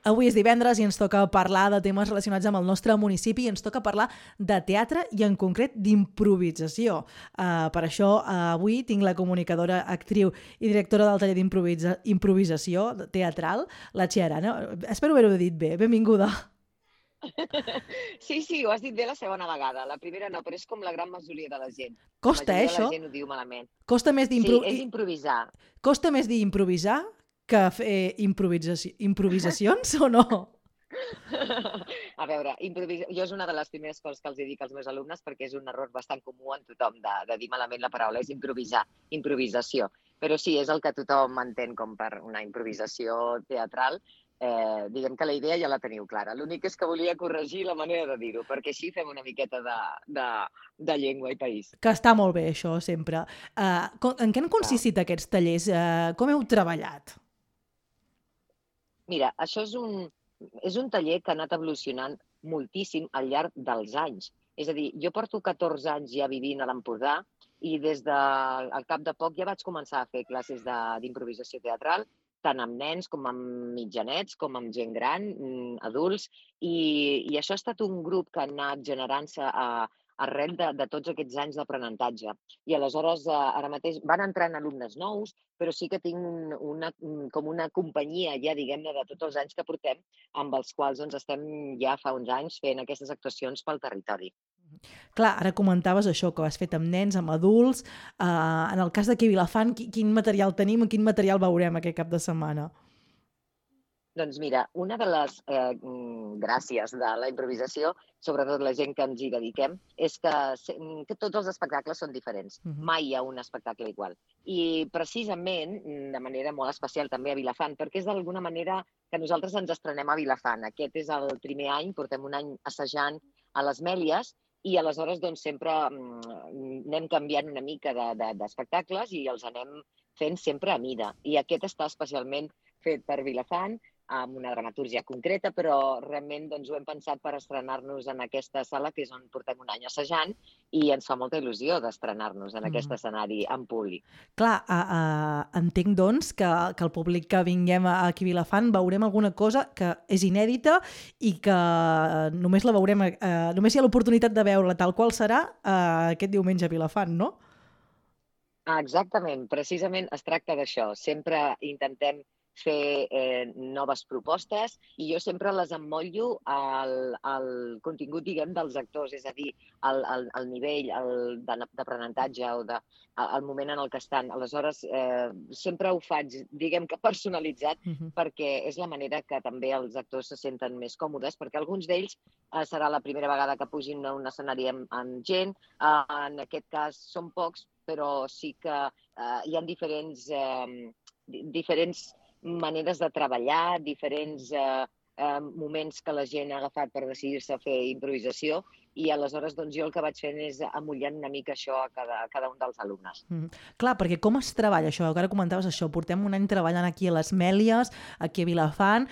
Avui és divendres i ens toca parlar de temes relacionats amb el nostre municipi i ens toca parlar de teatre i en concret d'improvisació. Per això avui tinc la comunicadora, actriu i directora del taller d'improvisació teatral, la Txell Arana. Espero haver-ho dit bé. Benvinguda. Sí, ho has dit bé la segona vegada. La primera no, però és com la gran majoria de la gent. Costa, La majoria de això? la gent ho diu malament. Costa més Sí, és improvisar. Costa més dir improvisar que fer improvisacions o no? A veure, jo és una de les primeres coses que els dic als meus alumnes perquè és un error bastant comú en tothom de dir malament la paraula, és improvisar, improvisació. Però sí, és el que tothom entén com per una improvisació teatral. Diguem que la idea ja la teniu clara. L'únic és que volia corregir la manera de dir-ho, perquè així fem una miqueta de llengua i país. Que està molt bé, això, sempre. En què han consistit aquests tallers? Com heu treballat? Mira, això és un taller que ha anat evolucionant moltíssim al llarg dels anys. És a dir, jo porto 14 anys ja vivint a l'Empordà i des del cap de poc ja vaig començar a fer classes d'improvisació teatral, tant amb nens com amb mitjanets, com amb gent gran, adults, i això ha estat un grup que ha anat generant-se arrel de tots aquests anys d'aprenentatge. I aleshores, ara mateix, van entrant alumnes nous, però sí que tinc com una companyia ja, diguem-ne, de tots els anys que portem, amb els quals estem ja fa uns anys fent aquestes actuacions pel territori. Clar, ara comentaves això, que ho has fet amb nens, amb adults. En el cas d'aquí a Vilafant, quin material tenim i quin material veurem aquest cap de setmana? Doncs mira, una de les gràcies de la improvisació, sobretot la gent que ens hi dediquem, és que tots els espectacles són diferents. Mai hi ha un espectacle igual. I precisament, de manera molt especial també a Vilafant, perquè és d'alguna manera que nosaltres ens estrenem a Vilafant. Aquest és el primer any, portem un any assajant a les Mèlies, i aleshores sempre anem canviant una mica d'espectacles i els anem fent sempre a mida. I aquest està especialment fet per Vilafant, amb una dramatúrgia concreta, però realment ho hem pensat per estrenar-nos en aquesta sala, que és on portem un any assajant, i ens fa molta il·lusió d'estrenar-nos en aquest escenari en públic. Clar, entenc, doncs, que el públic que vinguem aquí a Vilafant veurem alguna cosa que és inèdita i que només la veurem, només hi ha l'oportunitat de veure-la tal qual serà aquest diumenge a Vilafant, no? Exactament, precisament es tracta d'això. Sempre intentem fer noves propostes i jo sempre les emmotllo al contingut, diguem, dels actors, és a dir, al nivell d'aprenentatge o al moment en el que estan. Aleshores, sempre ho faig, diguem que personalitzat, perquè és la manera que també els actors se senten més còmodes, perquè alguns d'ells serà la primera vegada que pugin a un escenari amb gent. En aquest cas són pocs, però sí que hi ha diferents maneres de treballar, diferents moments que la gent ha agafat per decidir-se a fer improvisació i aleshores jo el que vaig fent és amollant una mica això a cada un dels alumnes. Clar, perquè com es treballa això? Ara comentaves això, portem un any treballant aquí a les Mèlies, aquí a Vilafant.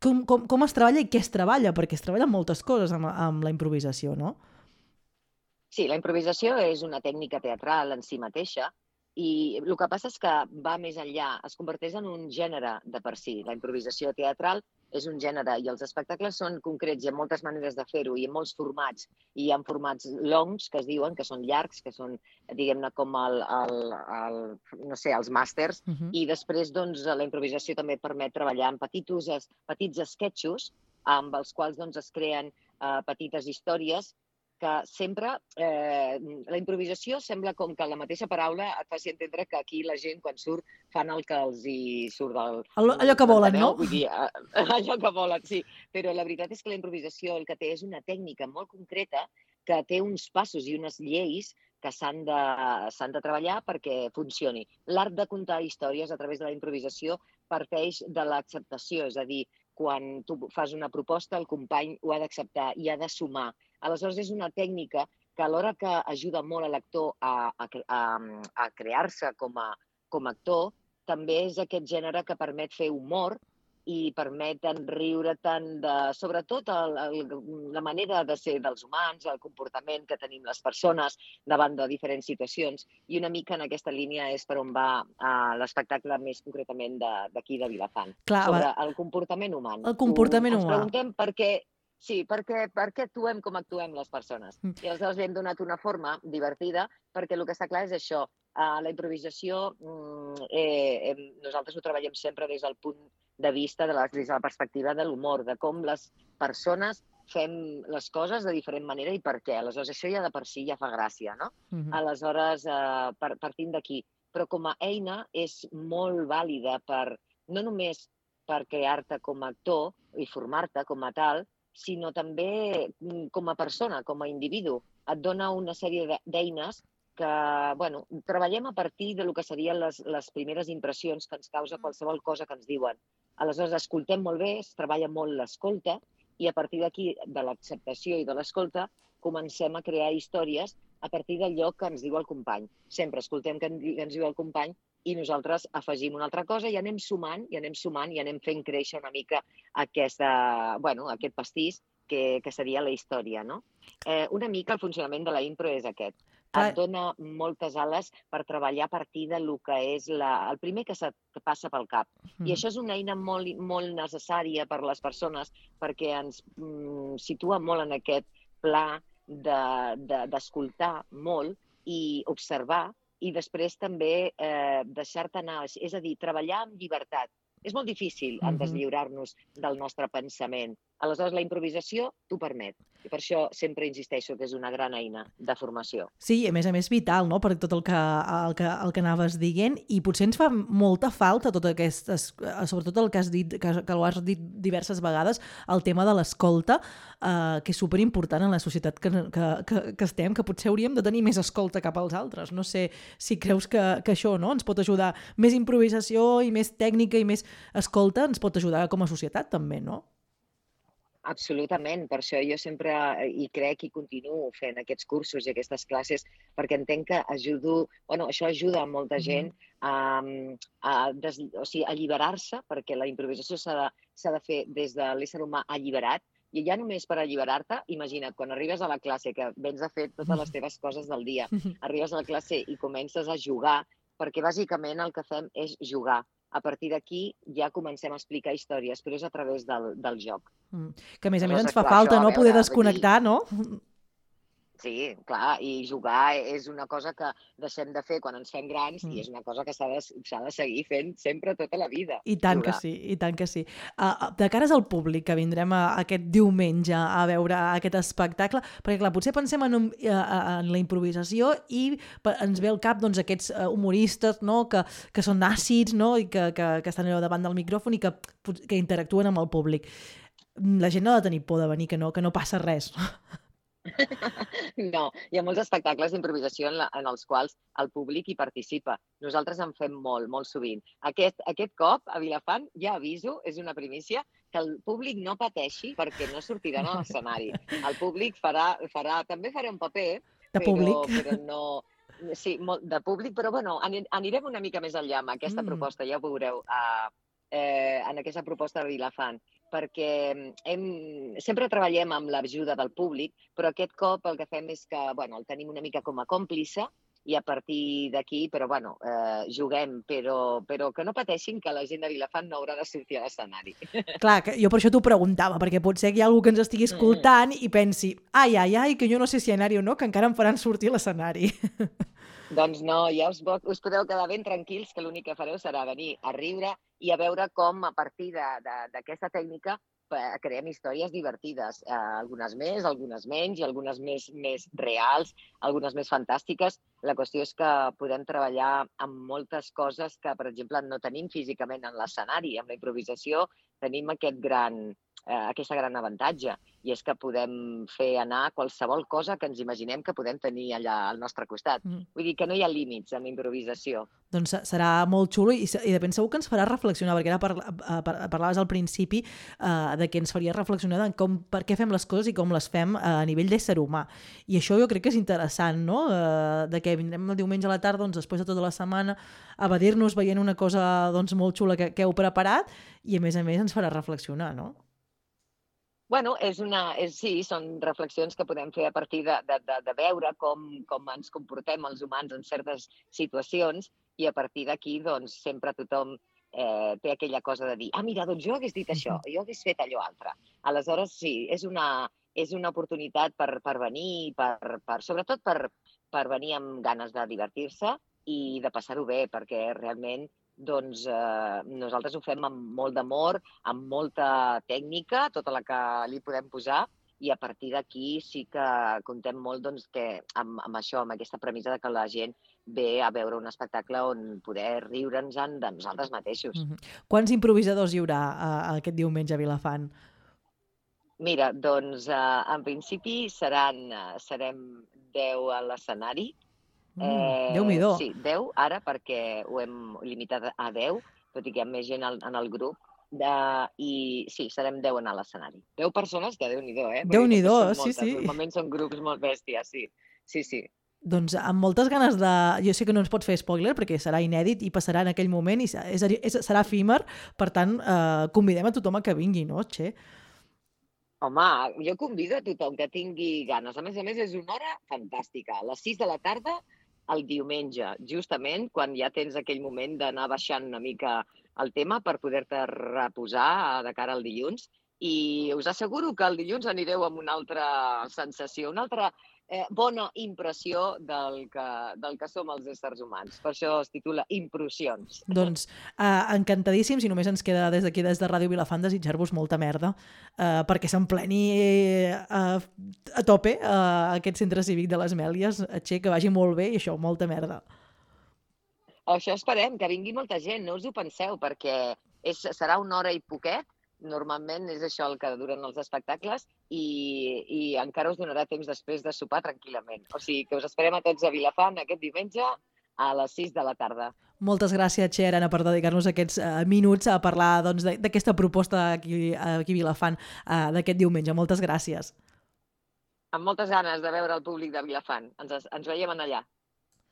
Com es treballa i què es treballa? Perquè es treballen moltes coses amb la improvisació, no? Sí, la improvisació és una tècnica teatral en si mateixa i el que passa és que va més enllà, es converteix en un gènere de per si. La improvisació teatral és un gènere i els espectacles són concrets, hi ha moltes maneres de fer-ho i en molts formats. I hi ha formats longs, que es diuen, que són llargs, que són, diguem-ne, com els màsters, i després la improvisació també permet treballar en petits esquetxos amb els quals es creen petites històries que sempre, la improvisació sembla com que la mateixa paraula et faci entendre que aquí la gent quan surt fan el que els hi surt del... Allò que volen, no? Vull dir, allò que volen, sí. Però la veritat és que la improvisació el que té és una tècnica molt concreta que té uns passos i unes lleis que s'han de treballar perquè funcioni. L'art de contar històries a través de la improvisació parteix de l'acceptació, és a dir, quan tu fas una proposta, el company ho ha d'acceptar i ha de sumar. Aleshores, és una tècnica que alhora que ajuda molt a l'actor a crear-se com a actor, també és aquest gènere que permet fer humor i permeten riure tant sobretot la manera de ser dels humans, el comportament que tenim les persones davant de diferents situacions, i una mica en aquesta línia és per on va l'espectacle més concretament d'aquí de Vilafant, sobre el comportament humà. El comportament humà. Ens preguntem per què actuem com actuem les persones. I aleshores li hem donat una forma divertida, perquè el que està clar és això, la improvisació nosaltres ho treballem sempre des del punt de vista, des de la perspectiva de l'humor, de com les persones fem les coses de diferent manera i per què. Aleshores, això ja de per si ja fa gràcia, no? Aleshores, partim d'aquí. Però com a eina és molt vàlida no només per crear-te com a actor i formar-te com a tal, sinó també com a persona, com a individu. Et dona una sèrie d'eines que, bueno, treballem a partir del que serien les primeres impressions que ens causa qualsevol cosa que ens diuen. Aleshores, escoltem molt bé, es treballa molt l'escolta, i a partir d'aquí, de l'acceptació i de l'escolta, comencem a crear històries a partir d'allò que ens diu el company. Sempre escoltem què ens diu el company i nosaltres afegim una altra cosa i anem sumant i anem fent créixer una mica aquest pastís que seria la història, no? Una mica el funcionament de la impro és aquest. Et dona moltes ales per treballar a partir del que és el primer que passa pel cap. I això és una eina molt, molt necessària per a les persones perquè ens situa molt en aquest pla d'escoltar molt i observar i després també deixar-te anar, és a dir, treballar amb llibertat. És molt difícil deslliurar-nos del nostre pensament. Aleshores, la improvisació t'ho permet. I per això sempre insisteixo que és una gran eina de formació. Sí, a més vital, no?, per tot el que anaves dient, i potser ens fa molta falta tot aquest, sobretot el que has dit, que ho has dit diverses vegades, el tema de l'escolta, que és superimportant en la societat que estem, que potser hauríem de tenir més escolta cap als altres. No sé si creus que això, no?, ens pot ajudar. Més improvisació i més tècnica i més escolta ens pot ajudar com a societat també, no? Absolutament, per això jo sempre hi crec i continuo fent aquests cursos i aquestes classes, perquè entenc que això ajuda a molta gent a alliberar-se, perquè la improvisació s'ha de fer des de l'ésser humà alliberat, i ja només per alliberar-te, imagina't, quan arribes a la classe, que vens a fer totes les teves coses del dia, arribes a la classe i comences a jugar, perquè bàsicament el que fem és jugar. A partir d'aquí ja comencem a explicar històries, però és a través del joc. Que a més ens fa falta, no?, poder desconnectar, no? Sí, clar, i jugar és una cosa que deixem de fer quan ens fem grans i és una cosa que s'ha de seguir fent sempre tota la vida. I tant que sí, i tant que sí. De cares al públic, que vindrem aquest diumenge a veure aquest espectacle, perquè clar, potser pensem en la improvisació i ens ve al cap aquests humoristes, no?, que són àcids, no?, i que estan allà davant del micròfon i que interactuen amb el públic. La gent no ha de tenir por de venir, que no passa res. No, hi ha molts espectacles d'improvisació en els quals el públic hi participa. Nosaltres en fem molt, molt sovint. Aquest cop, a Vilafant, ja aviso, és una primícia, que el públic no pateixi perquè no sortiran a l'escenari. El públic també farà un paper, però no... Sí, de públic, però bueno, anirem una mica més enllà amb aquesta proposta, ja ho veureu, en aquesta proposta de Vilafant, perquè sempre treballem amb l'ajuda del públic, però aquest cop el que fem és que el tenim una mica com a còmplice i a partir d'aquí, però juguem, però que no pateixin que la gent de Vilafant no haurà de sortir a l'escenari. Clar, jo per això t'ho preguntava, perquè potser hi ha algú que ens estigui escoltant i pensi, ai, que jo no sé si anar-hi o no, que encara em faran sortir a l'escenari. Doncs no, ja us podeu quedar ben tranquils que l'únic que fareu serà venir a riure i a veure com a partir d'aquesta tècnica creem històries divertides, algunes més, algunes menys i algunes més reals, algunes més fantàstiques. La qüestió és que podem treballar amb moltes coses que, per exemple, no tenim físicament en l'escenari. Amb la improvisació tenim aquest gran aquest gran avantatge, i és que podem fer anar qualsevol cosa que ens imaginem que podem tenir allà al nostre costat. Vull dir que no hi ha límits amb improvisació. Doncs serà molt xulo i de ben segur que ens farà reflexionar, perquè ara parlaves al principi de que ens faria reflexionar en per què fem les coses i com les fem a nivell d'ésser humà. I això jo crec que és interessant, no? De que vindrem el diumenge a la tarda, doncs, després de tota la setmana, a evadir-nos veient una cosa doncs, molt xula que heu preparat i a més ens farà reflexionar, no? Bueno, sí, són reflexions que podem fer a partir de veure com ens comportem els humans en certes situacions, i a partir d'aquí doncs, sempre tothom té aquella cosa de dir mira, doncs jo hagués dit això, jo hagués fet allò altre. Aleshores, sí, és una oportunitat per venir, sobretot per venir amb ganes de divertir-se i de passar-ho bé, perquè realment doncs nosaltres ho fem amb molt d'amor, amb molta tècnica, tota la que li podem posar, i a partir d'aquí sí que comptem molt doncs, que amb això, amb aquesta premissa de que la gent ve a veure un espectacle on poder riure'ns-en de nosaltres mateixos. Quants improvisadors hi haurà aquest diumenge a Vilafant? Mira, doncs en principi serem 10 a l'escenari. Déu-n'hi-do. Sí, 10 ara, perquè ho hem limitat a 10, tot i que hi ha més gent en el grup. I sí, serem 10 a l'escenari. 10 persones, que Déu-n'hi-do, Déu-n'hi-do, sí. Normalment són grups molt bèsties, sí. Doncs amb moltes ganes de... Jo sé que no ens pot fer spoiler perquè serà inèdit i passarà en aquell moment i serà efímer, per tant, convidem a tothom a que vingui, no, Txell? Home, jo convido a tothom que tingui ganes. A més, és una hora fantàstica. A les 6 de la tarda, el diumenge, justament quan ja tens aquell moment d'anar baixant una mica el tema per poder-te reposar de cara al dilluns. I us asseguro que el dilluns anireu amb una altra sensació, una altra bona impressió del que som els éssers humans. Per això es titula Impressions. Doncs encantadíssims, i només ens queda des d'aquí, des de Ràdio Vilafant, desitjar-vos molta merda perquè s'empleni a tope aquest centre cívic de les Mèlies, que vagi molt bé i això, molta merda. Això esperem, que vingui molta gent, no us ho penseu, perquè serà una hora i poquet. Normalment és això el que duren els espectacles i encara us donarà temps després de sopar tranquil·lament. O sigui que us esperem a tots a Vilafant aquest diumenge a les 6 de la tarda. Moltes gràcies, Txell Arana, per dedicar-nos aquests minuts a parlar d'aquesta proposta aquí a Vilafant d'aquest diumenge. Moltes gràcies. Amb moltes ganes de veure el públic de Vilafant. Ens veiem allà.